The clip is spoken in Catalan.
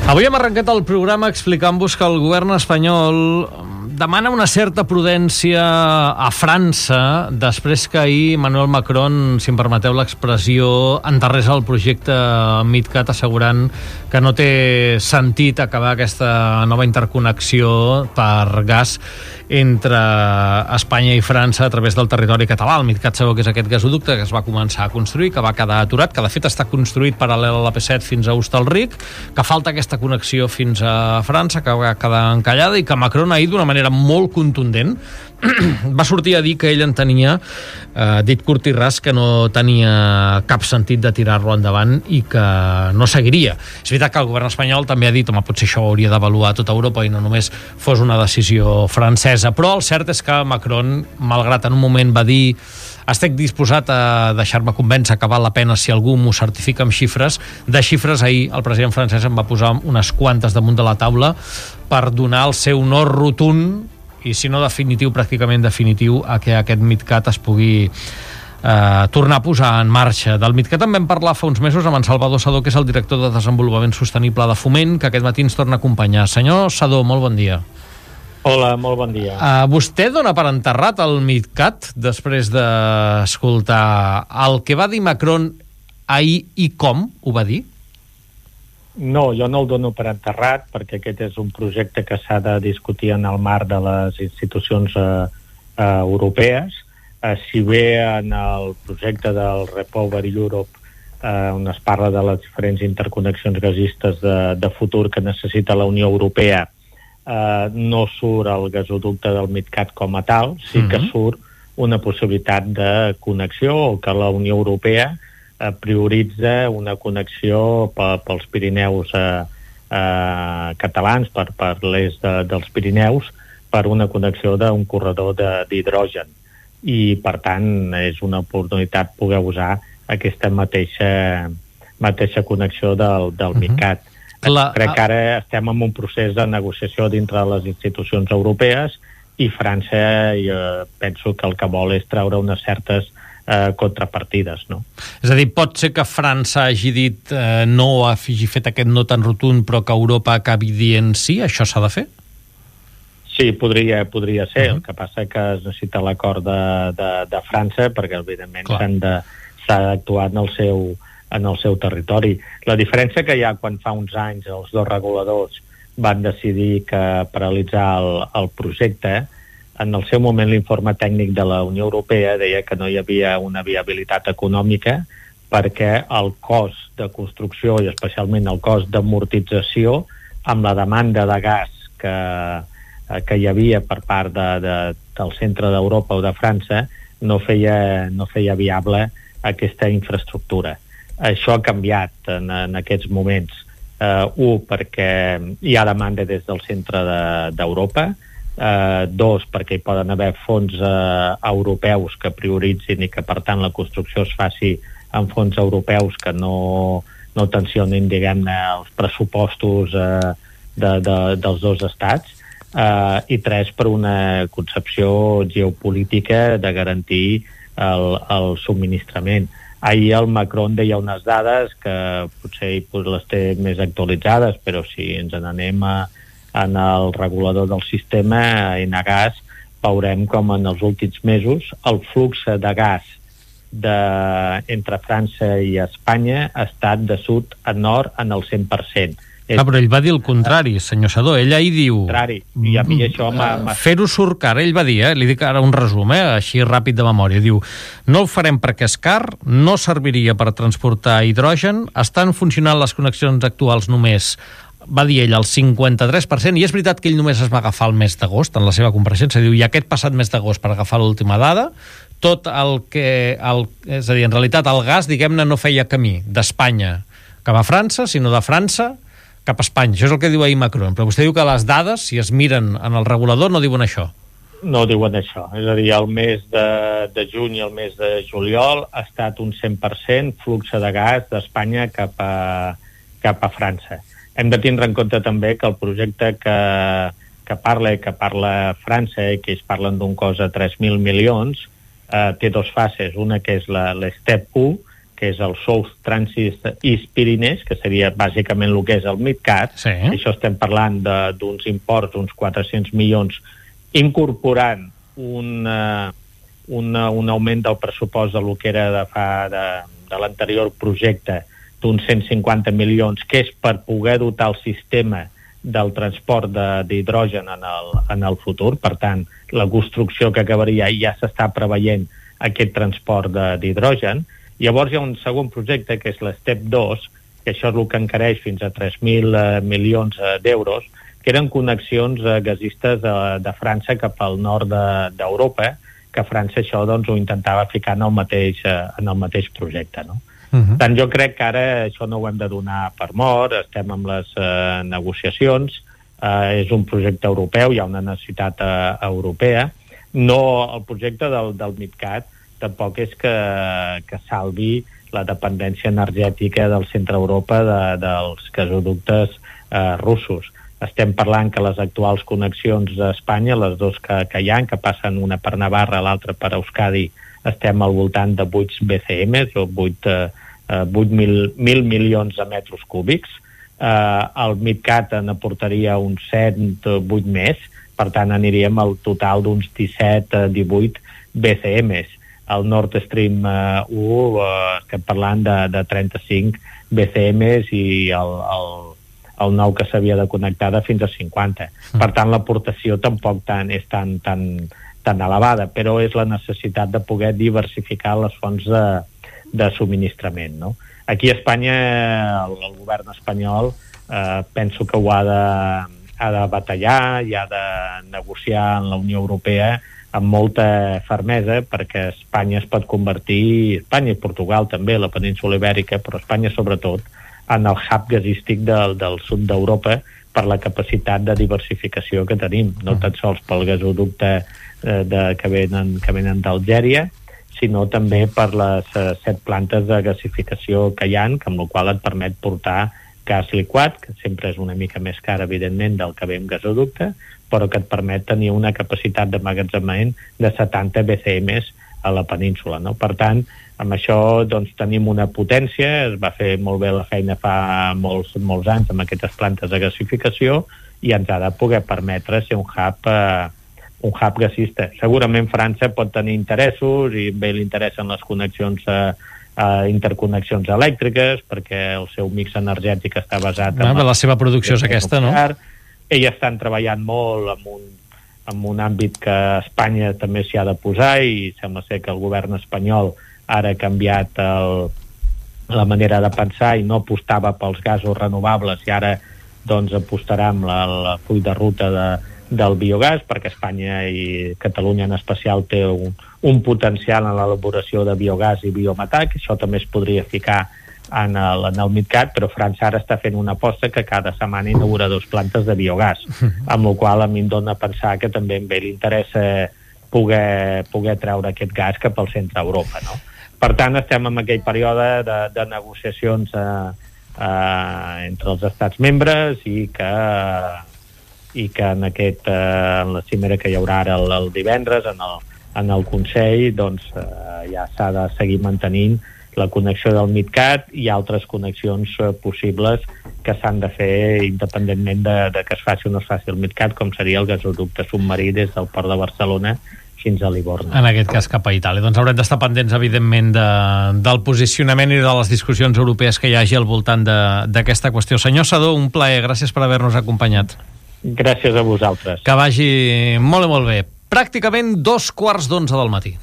Avui hem arrencat el programa explicant-vos que el govern espanyol demana una certa prudència a França després que ahir Emmanuel Macron, si em permeteu l'expressió, enterrés el projecte MidCat assegurant que no té sentit acabar aquesta nova interconnexió per gas entre Espanya i França a través del territori català. El MidCat sabeu que és aquest gasoducte que es va començar a construir, que va quedar aturat, que de fet està construït paral·lel a l'AP7 fins a Hostalric, que falta aquesta connexió fins a França, que va quedar encallada, i que Macron ahir d'una manera molt contundent va sortir a dir que ell entenia, dit curt i ras, que no tenia cap sentit de tirar-lo endavant i que no seguiria. És veritat que el govern espanyol també ha dit, home, potser això ho hauria d'avaluar tota Europa i no només fos una decisió francesa, però el cert és que Macron, malgrat en un moment va dir estic disposat a deixar-me convèncer que val la pena si algú m'ho certifica amb xifres, de xifres ahir el president francès en va posar unes quantes damunt de la taula per donar el seu no rotund, i si no definitiu, pràcticament definitiu, a que aquest MidCat es pugui tornar a posar en marxa. Del MidCat en vam parlar fa uns mesos amb en Salvador Sadó, que és el director de Desenvolupament Sostenible de Foment, que aquest matí ens torna a acompanyar. Senyor Sadó, molt bon dia. Hola, molt bon dia. Vostè dona per enterrat el MidCat després d'escoltar el que va dir Macron ahir i com ho va dir? No, jo no el dono per enterrat perquè aquest és un projecte que s'ha de discutir en el marc de les institucions europees. Si bé en el projecte del Repower Europe on es parla de les diferents interconnexions gasistes de futur que necessita la Unió Europea, no surt el gasoducte del MidCat com a tal, sí que surt una possibilitat de connexió, o que la Unió Europea prioritza una connexió pels Pirineus catalans, per l'est dels Pirineus, per una connexió d'un corredor d'hidrogen. I, per tant, és una oportunitat poder usar aquesta mateixa connexió del MidCat. Crec que ara estem en un procés de negociació dintre de les institucions europees i França, penso que el que vol és treure unes certes contrapartides, no? És a dir, pot ser que França hagi dit no, hagi fet aquest no tan rotund, però que Europa acabi dient sí, això s'ha de fer? Sí, podria ser. El que passa és que es necessita l'acord de França perquè, evidentment, s'ha d'actuar en el seu territori. La diferència que hi ha quan fa uns anys els dos reguladors van decidir paralitzar el projecte, en el seu moment l'informe tècnic de la Unió Europea deia que no hi havia una viabilitat econòmica perquè el cost de construcció i especialment el cost d'amortització amb la demanda de gas que hi havia per part del centre d'Europa o de França no feia viable aquesta infraestructura. Això ha canviat en aquests moments. Perquè hi ha demanda des del centre d'Europa, dos, perquè hi poden haver fons europeus que prioritzin i que, per tant, la construcció es faci amb fons europeus que no tensionin, diguem-ne, els pressupostos dels dos estats, i tres, per una concepció geopolítica de garantir el subministrament. Ahir el Macron deia unes dades que potser les té més actualitzades, però si ens n'anem en el regulador del sistema, a Enagas, veurem com en els últims mesos el flux de gas entre França i Espanya ha estat de sud a nord en el 100%. Però ell va dir el contrari, senyor Sadó. Ell ahir diu... I a mi això fer-ho surt car. Ell va dir, li dic ara un resum, així ràpid de memòria. Diu, no ho farem perquè és car, no serviria per transportar hidrogen, estan funcionant les connexions actuals només, va dir ell, el 53%, i és veritat que ell només es va agafar el mes d'agost en la seva compareixença. Diu, i aquest passat mes d'agost, per agafar l'última dada, tot el que... és a dir, en realitat, el gas, diguem-ne, no feia camí d'Espanya cap a França, sinó de França cap a Espanya. Això és el que diu ahir Macron. Però vostè diu que les dades, si es miren en el regulador, no diuen això. No diuen això. És a dir, el mes de juny i el mes de juliol ha estat un 100% flux de gas d'Espanya cap a França. Hem de tindre en compte també que el projecte que parla França i que ells parlen d'un cost de 3.000 milions té dos fases. Una que és l'Step 1, que és el South Transit East Pyrenees, que seria bàsicament el que és el MidCat. Sí. Això estem parlant d'uns imports, uns 400 milions, incorporant un augment del pressupost de lo que era de l'anterior projecte d'uns 150 milions, que és per poder dotar el sistema del transport d'hidrogen en el futur. Per tant, la construcció que acabaria ja s'està preveient aquest transport d'hidrogen. Llavors hi ha un segon projecte, que és l'Step 2, que això és el que encareix fins a 3.000 milions d'euros, que eren connexions gasistes de França cap al nord d'Europa, que França això doncs, ho intentava ficar en el mateix projecte, no? Per tant, jo crec que ara això no ho hem de donar per mort, estem amb les negociacions, és un projecte europeu, hi ha una necessitat europea. No, el projecte del MidCat tampoc és que salvi la dependència energètica del centre Europa dels gasoductes russos. Estem parlant que les actuals connexions d'Espanya, les dues que hi ha, que passen una per Navarra, l'altra per Euskadi, estem al voltant de 8 BCM, o 8.000 milions de metres cúbics. El MidCat n'aportaria uns 7 o 8 més, per tant aniríem al total d'uns 17-18 BCMs. El Nord Stream 1 estem parlant de 35 BCMs i el nou que s'havia de connectar de fins a 50. Per tant, l'aportació tampoc és tan elevada, però és la necessitat de poder diversificar les fonts de subministrament, no? Aquí a Espanya, el govern espanyol penso que ho ha de batallar i ha de negociar en la Unió Europea amb molta fermesa, perquè Espanya es pot convertir, Espanya i Portugal també, la península Ibèrica, però Espanya sobretot, en el hub gasístic del sud d'Europa per la capacitat de diversificació que tenim, no tan sols pel gasoducte que venen d'Algèria, sinó també per les 7 plantes de gasificació que hi ha, amb la qual et permet portar gas liquat, que sempre és una mica més car, evidentment, del que ve en gasoducte, però que et permet tenir una capacitat d'emmagatzemament de 70 BCMs a la península, no? Per tant, amb això doncs, tenim una potència, es va fer molt bé la feina fa molts anys amb aquestes plantes de gasificació i ens ha de poder permetre ser un hub gasista. Segurament França pot tenir interessos i bé li interessen les connexions interconnexions elèctriques perquè el seu mix energètic està basat en la seva producció és aquesta, no? Ells estan treballant molt en un àmbit que Espanya també s'hi ha de posar i sembla ser que el govern espanyol ara ha canviat la manera de pensar i no apostava pels gasos renovables i ara doncs apostarà amb el full de ruta del biogàs, perquè Espanya i Catalunya en especial té un potencial en l'elaboració de biogàs i biometà, que això també es podria ficar en el MidCat, però França ara està fent una aposta que cada setmana inaugura 2 plantes de biogàs, amb la qual a mi em dona a pensar que també a ell li interessa poder treure aquest gas cap al centre d'Europa, no? Per tant, estem en aquell període de negociacions entre els estats membres i que en la cimera que hi haurà ara el divendres en el Consell doncs ja s'ha de seguir mantenint la connexió del MidCat i altres connexions possibles que s'han de fer independentment de que es faci o no es faci el MidCat, com seria el gasoducte submarí des del port de Barcelona fins a Livorno. En aquest cas cap a Itàlia. Doncs haurem d'estar pendents, evidentment, del posicionament i de les discussions europees que hi hagi al voltant d'aquesta qüestió. Senyor Sedó, un plaer. Gràcies per haver-nos acompanyat. Gràcies a vosaltres. Que vagi molt i molt bé. Pràcticament 2:15 del matí.